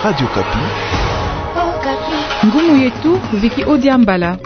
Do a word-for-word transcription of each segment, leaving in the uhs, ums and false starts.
Radio Okapi. Ngumu yetu Viki Odiambala.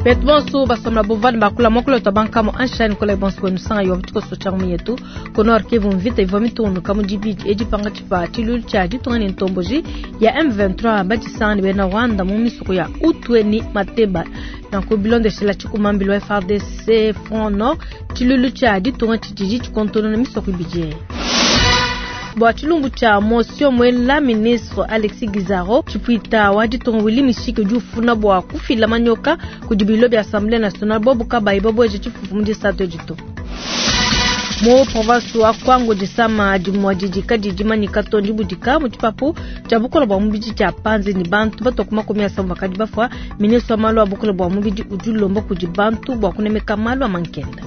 Betu bonso basomla bovani bakula mokolo to bankamo anshani kola bonso kwenu sanga yo bitiko so changu yetu kono arkivu mvita ivwa mitundu kamu dibidi edi panga chipa chilulu cha ditunga ni ntomboji ya M vingt-trois batisanga ni bena Rwanda mu misuku ya Utwe ni Mateba na kubilondeshela chikumambilo F R D C Front Nord chilulu cha ditunga chijiji chikontona na misuku ibidi bwa chilumbu cha motion mwela ministre Alexis Gisaro chipuita wa ditunga Willy Mishiki ujufuna bwa kufila manyoka kudibilo bya Assemblée nationale bobu kabayi bobu eje chifufu mu disato dito. Mo province wa Kwango disama dimwa didika didimanyika tondi budika mu tshipapu tshia bukola bwa mubidi tshia panzi ni bantu batoka makumi asambombo bakadi bafua. Ministre wa malu a bukola bwa mubidi udi ulomba kudi bantu bua kunemeka malu a mankenda.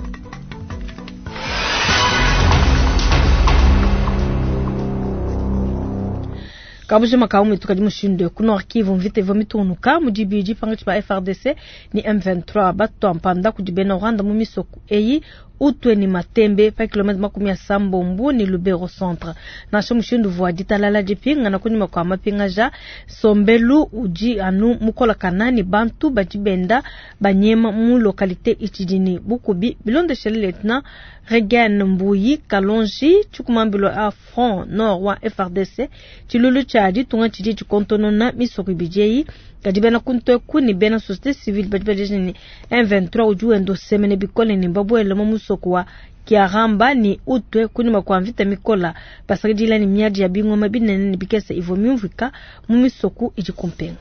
Kabuji makawu mitu kadi mushindu ku Nord Kivu mvita ivua mitunuka mu dibidi pangatshi pa F R D C ni M vingt-trois batwa mpanda kudi bena Rwanda mu misoko eyi Utwe ni Matembe pa kilomita makumi asambombo ni Lubero centre. Nansha mushindu vua ditalala dipinga na kunyuma kwa mapinga ja sombelu udi anu mukola kanani bantu badi benda banyema mu localité itidini bukubi bilondeshele lieutenant Regan Mbuyi Kalonji chikumambilo a Front Nord wa F R D C chilulu cha ditunga chidi chikontonona misoko ibidi kadi bena kunto kuni bena société civile badi badi ni M vingt-trois udi wendo semene bikole ni mbabwele mu musoko wa Kiaramba ni Utwe kuni makwa mvita mikola basakidila ni miadi ya bingoma binene ni bikese ivo myumvika mu misoko idi kumpenga.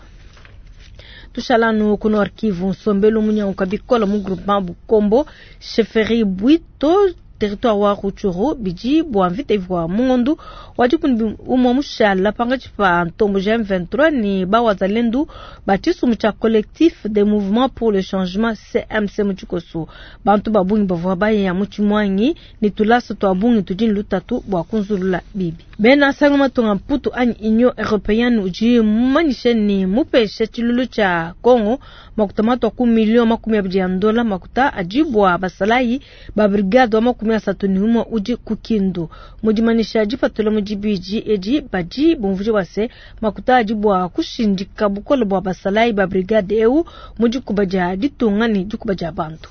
Tushalanu kuno arkivu nsombelu munyanguka bikola mu groupement Bukombo chefferie Bwito territoire wa Rutshuru bidi bwa mvita ivua mungondu wadi kuni umwa mushala pangatshi pa ntombo ja M vingt-trois ni bawazalendu ba tshisumbu tshia collectif des mouvements pour le changement C M C mu tshikoso. Bantu ba bungi bavua baya mu tshimwangi ni tulasa twa bungi tudi ni lutatu bua kunzulula bibi. Bena sango matunga mputu anyi Union Européenne udi mumanyishe ni mupeshe tshilulu tshia Congo makuta matwa ku million makumi abidi ya ndola makuta adibwa basalayi ba brigade wa makumi asatu ni umwe udi ku Kindu. Mudimanisha dipatula mu dibidi edi badi bumvuje bua se makuta adibwa kushindika bukole bua basalayi ba brigade eu mu dikuba dia ditunga ni dikuba dia bantu.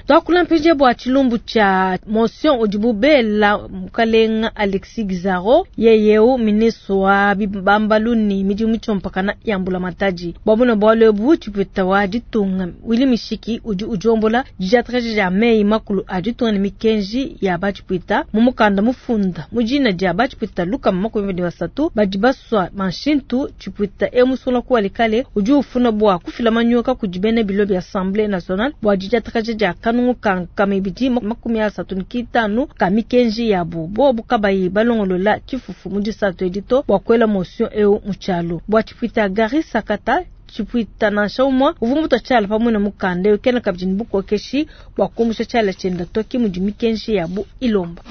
Twakula mpinje bua tshilumbu tshia motion udibu bela mukalenga Alexis Gisaro yeyeu ministre wa bibambalu ni midimu tshiompakana ya mbula matadi. Bua buna bualu ebu tshipeta wa ditunga Willy Mishiki udi udiombola didiatraje dia meyi makulu a ditunga ni mikenji ya batshipwita mu mukanda mufunda mu dina dia batshipwita lukama makumi abidi na basatu badi basua manshintu tshipwita e musula ku walikale udi ufuna bua kufila manyoka kudi bena bilo bia Assemblée nationale bua didiatraje dia kanungu ka mibidi makumi asatu ni kitanu ka mikenji yabu bobu kabayi balongolola tshifufu mu disato edito bua kuela motion eu mu tshialu bua tshipwita Gary Sakata tshipwita nansha umwe uvua mutua tshiala pamue na mukanda eu kena kabidi ni bukokeshi bua kumbusha tshiala tshienda toki mudi mikenji yabu ilomba.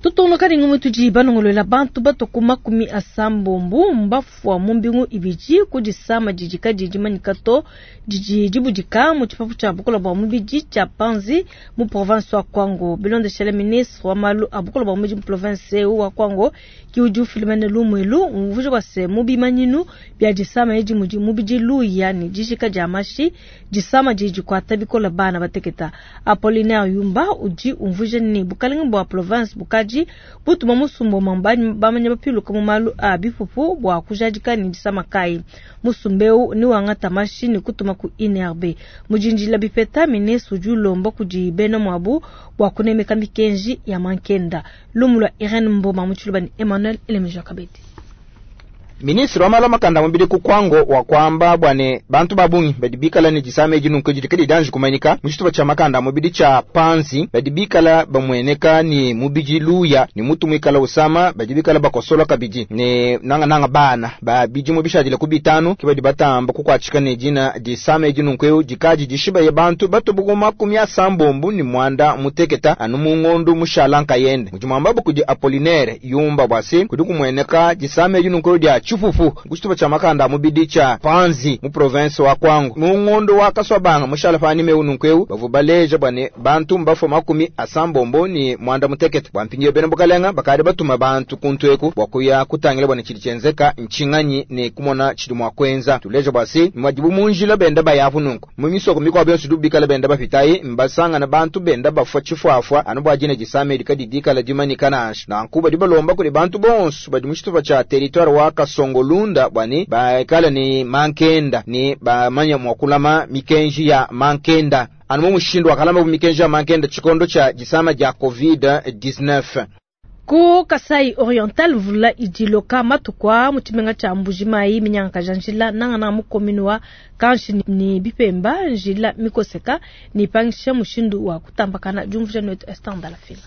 Tutongoka ni ngumu tudi balongolola bantu batoku makumi asambombo mbafua mu mbingu ibidi kudisama didi kadidi manyika to didi dibudika mu tshipapu tshia bukola bua mubidi tshia Panzi mu province wa Kwango. Bilondeshele ministre wa malu a bukola bua mubidi mu province eu wa Kwango ki udi ufilimene lumwelu umvuje bua se mu bimanyinu bia disama edi mudi mubidi luya ni dijika dia mashi disama didi dikuata bikola bana bateketa. Apollinaire Yumba udi umvuje ni bukalenge bua province bukadi butuma musumbo mambani bamanya bapiluka mu malu a bipupu bua kujadika ni disama kai. Musumbeu ni wangata mashi ni kutuma ku I N R B. Mujinjila bipeta ministre udi ulomba kudi bena mwabu bua kunemeka mikenji ya mankenda. Lumulwa Irene Mboma mu tshiluba ni Emmanuel Elemija Kabedi. Ministre wa malu a makanda mubidi ku Kwango wa kwamba bwane bantu babungi badi bikala ni disama edi nunku didi kadi danji kumanyika mu tshitupa tshia makanda mubidi tshia Panzi badi bikala bamweneka ni mubidi luya ni mutu mwikala usama badi bikala bakosola kabidi ne nanga nanga bana ba bidi mu bishadile ku bitanu ki badi batamba kukwatshika ne dina disama edi nunku eu dikaji dishiba ye bantu batubuku makumi asambombo ni mwanda muteketa anu mu ngondu mushala nkayende. Mudi mwamba kudi Apollinaire Yumba bwase kudi kumweneka disama edi nunku dia tshipupu ku tshitupa tshia makanda a mubidi tshia Panzi mu province wa Kwango. Mu ngondo wa Kaswabanga mushala pa anime nunku eu bavua baleja bua ne bantu mbafua makumi asambombo ni mwanda mutekete. Bua mpindieu bena bukalenga bakadi batuma bantu kuntu eku bua kuya kutangila bua ne tshidi tshienzeka ntshinganyi ne kumona tshidi mua kuenza. Tuleja bua se mwadibu mu njila benda bayapu nunku mu misoko mikuabu yonso idibu bikala benda bapitayi mbasangana bantu benda bafua tshifuafua anu bua dina disama edi kadi dikala dimanyika nansha. Nanku badi balomba kudi bantu bonso badi mu tshitupa tshia territoire wa Kasongolunda bua ne baikala ne mankenda ne bamanya mua kulama mikenji ya mankenda anu mu mushindu wa kalama mikenji ya mankenda tshikondo tshia disama dia covid dix-neuf. Ku Kasai Oriental mvula idiloka matukwa mu tshimenga tshia Mbujimayi minyanga njila nangana mu commune wa Kanshi ni bipemba njila mikoseka ni pangisha mushindu wa kutambakana jumvuja netu Esther Lafila.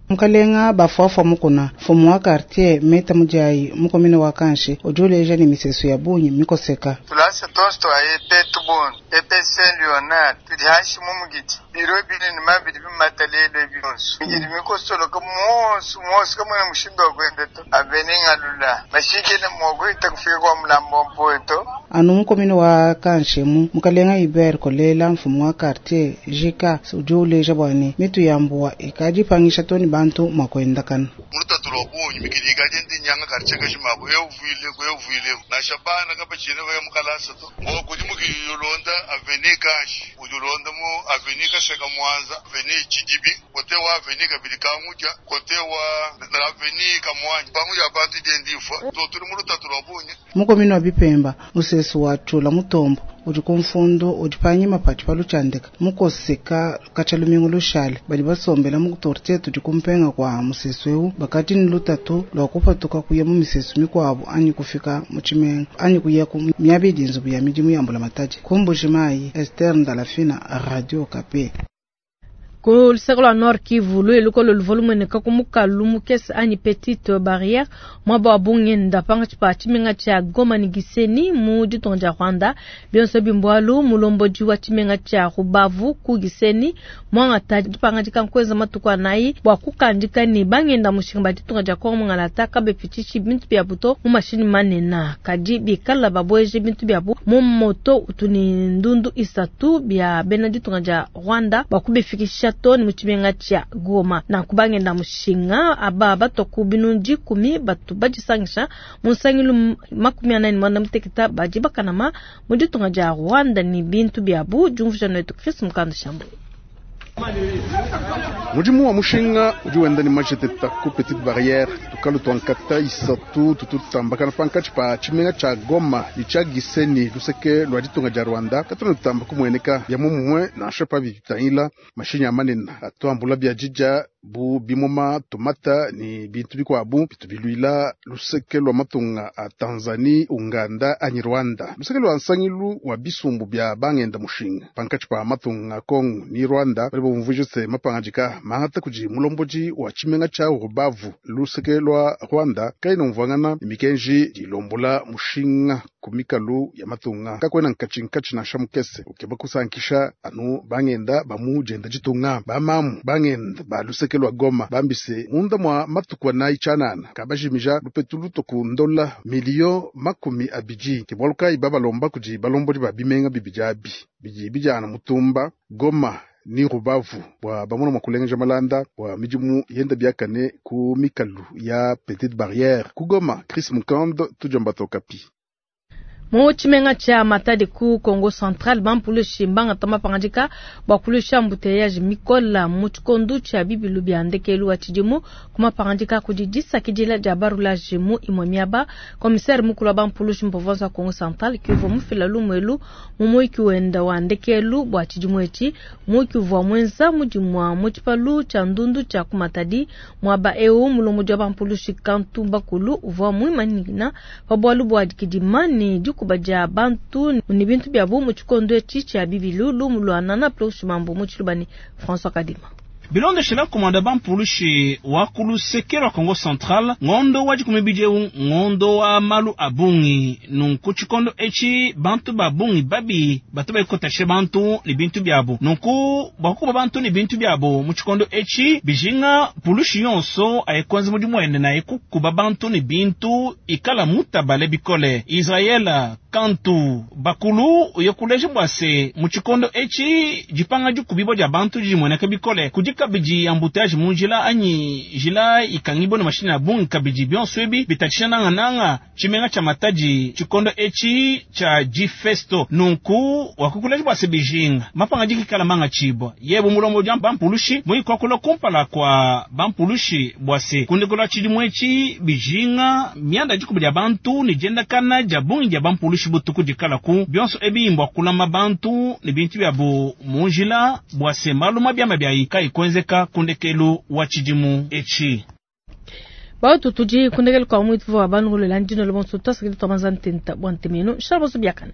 Mukalenga bafuafua mukuna mfumu wa quartier meta mujai mukomine wa Kanshi ujuleja ni misesu ya bunyi mikoseka tulasa tonsto ayepe tubon epe Saint Leonard tudihashi mumugiti biro bine ni mabidi bimatalele bionso migidi mikosoloka monso monso kamwe mushindo wa kwenda to abeninga lula mashike na mwogo itakufika kwa mlambo mpoto anu mukomine wa Kanshi mu mukalenga Iber kolela mfumu wa quartier jika ujuleja bwani mitu yambuwa ikaji pangisha toni bantu makwenda kana mulutatu lwa bunyi mikidi ikaje ndi nyanga quartier kashimabo yovile kwevile na shabana kapachine vaya mukalasa to ngo kudi mukiyolonda aveni Kanshi ujulonda mu aveni Kaseka Mwanza aveni Chidibi kote wa aveni kabili Kanguja kote wa aveni Kamwanja panguja abantu dendifa to tuli mulutatu lwa bunyi mukomino wa bipemba musesu wa chula mutombo udi kumfundo udi panyima pati palutshandika mukoseka katshalumingu lushale badi basombela mu tortie tudi kumpenga kwa musesu eu bakati ni lutatu lwa kupatuka kuya mu misesu mikwabu anyi kufika mu tshimenga anyi kuya ku miabidi nzubu ya midimu ya mbula mataji ku Mbujimayi. Esther Ndalafina, Radio Okapi. Ku luseke lwa Nord Kivu luelukolo luvua ku mukalu mukese anyi petite barrière mwaba wa bungenda panga tshipa tshimenga tshia Goma ni Gisenyi mu ditunga dia Rwanda bionso bimbwalu mulomboji wa tshimenga tshia Rubavu ku Gisenyi mwangata dipangadika nkweza matuku anayi bua kukandika ni bangenda mushinga ba ditunga dia Kongo mungalata kabepichichi bintu bia buto mu mashini manena kadi bikala babweje bintu biabu mu moto utuni ndundu isatu bia bena ditunga dia Rwanda bua kubifikisha toni mu tshimenga tshia Goma na kubangenda mushinga aba batoku binundi kumi batu badisangisha mu nsangilu makumi anani mwanda muteketa badi bakanama mu ditunga dia Rwanda ni bintu biabu jumvuja netu Chris Mukanda Shambo. Mudimu wa mushinga udi wenda ni majeteta ku petite barrière tukalu twankata isatu tututambakana pankatshi pa tshimenga tshia Goma ni tshia Gisenyi luseke lwa ditunga dia Rwanda katuna tutamba kumueneka bia mumumwe nansha pabi bitangila mashinyi a manene atuambula bia didja bu bimuma tomata ni bintu bikuabu bitu biluila luseke lwa matunga a Tanzania, Uganda anyi Rwanda. Luseke lwa nsangilu wa bisumbu bia bangenda mushinga pankatshi pa matunga Kongo ni Rwanda bali bumvuje se mapangajika mahata kuji mulomboji wa tshimenga tshia Rubavu luseke lwa Rwanda kaina umvangana ni mikenji dilombola mushinga kumikalu ya matunga kakwena nkatshi nkatshi na shamukese ukeba kusankisha anu bangenda bamu jenda jitunga bamamu bangenda ba luseke lwa Goma bambise munda mwa matukwa na ichanana kabajimija lupetu ku ndola milio makumi abiji kibwaluka ibabalomba kuji balomboli ba bimenga bibijabi biji bijana mutumba Goma ni Rubavu bwa bamona mwakulengeja malanda bwa midimu yenda biakane ku mikalu ya petite barrière ku Goma. Chris Mukando tujamba Okapi. Mu tshimenga tshia Matadi ku Kongo Central bampulushi mbangata mapangadika bua kulusha embouteillage mikola mu tshikondo tshia bibilu bia ndekelu wa tshidimu ku mapangadika kudi disakidila dia barulage mu imue miaba. Commissaire mukulu wa bampulushi mu province wa Kongo Central kiuvua mufila lumuelu mu muiki wenda wa ndekelu bua tshidimu etshi muiki uvua muenza mudimu wa mu tshipalu tshia ndundu tshia ku Matadi. Muaba eu mulomodi wa bampulushi Kantu Bakulu uvua muimanyina pa bualu bua dikidima ne kubadia bantu ni bintu biabu mu tshikondo etshi tshia bibilu lumu lwa nana ploshi mambo mu tshilubani François Kadima. Bilondeshela komanda bampulushi wa ku luseke lwa Kongo Central, ngondo wa dikumi bidi eu ngondo wa malu a bungi. Nunku tshikondo etshi bantu ba bungi babi batu baikotashe bantu ne bintu biabu. Nunku bua kukuba bantu ne bintu biabu mu tshikondo etshi bijinga pulushi yonso ayekwenza mudimu wende na ekukuba bantu ne bintu ikala mutabale bikole. Israel kantu bakulu yokuleja bua se mu tshikondo etshi dipanga dikubibwa dia bantu didimueneka bikole kudi kabidi embouteillage mu njila anyi njila ikangibwa ne mashini a bungi kabidi bionso ebi bitatshisha nangananga tshimenga tshia Matadi tshikondo etshi tshia difesto. Nunku wakukuleja bua se bijinga mapanga dikikala manga tshibwa yebo mulombo dia bampulushi muyikwakula kumpala kwa bampulushi bua se kundekela tshidimu etshi bijinga mianda dikubi dia bantu ne diendakana dia bungi dia bampulushi butuku dikalaku bionso ebi mbwa kulama bantu ne bintu biabu mu njila bua se malu mabiama biayi kayikwenzeka kundekelu wa tshidimu etshi. Bautu tudi kundekelu kwa mwitu wa bangulela ndino lo bonso twasakidi twamanza ntenta bwa ntemeno shala bonso biakana.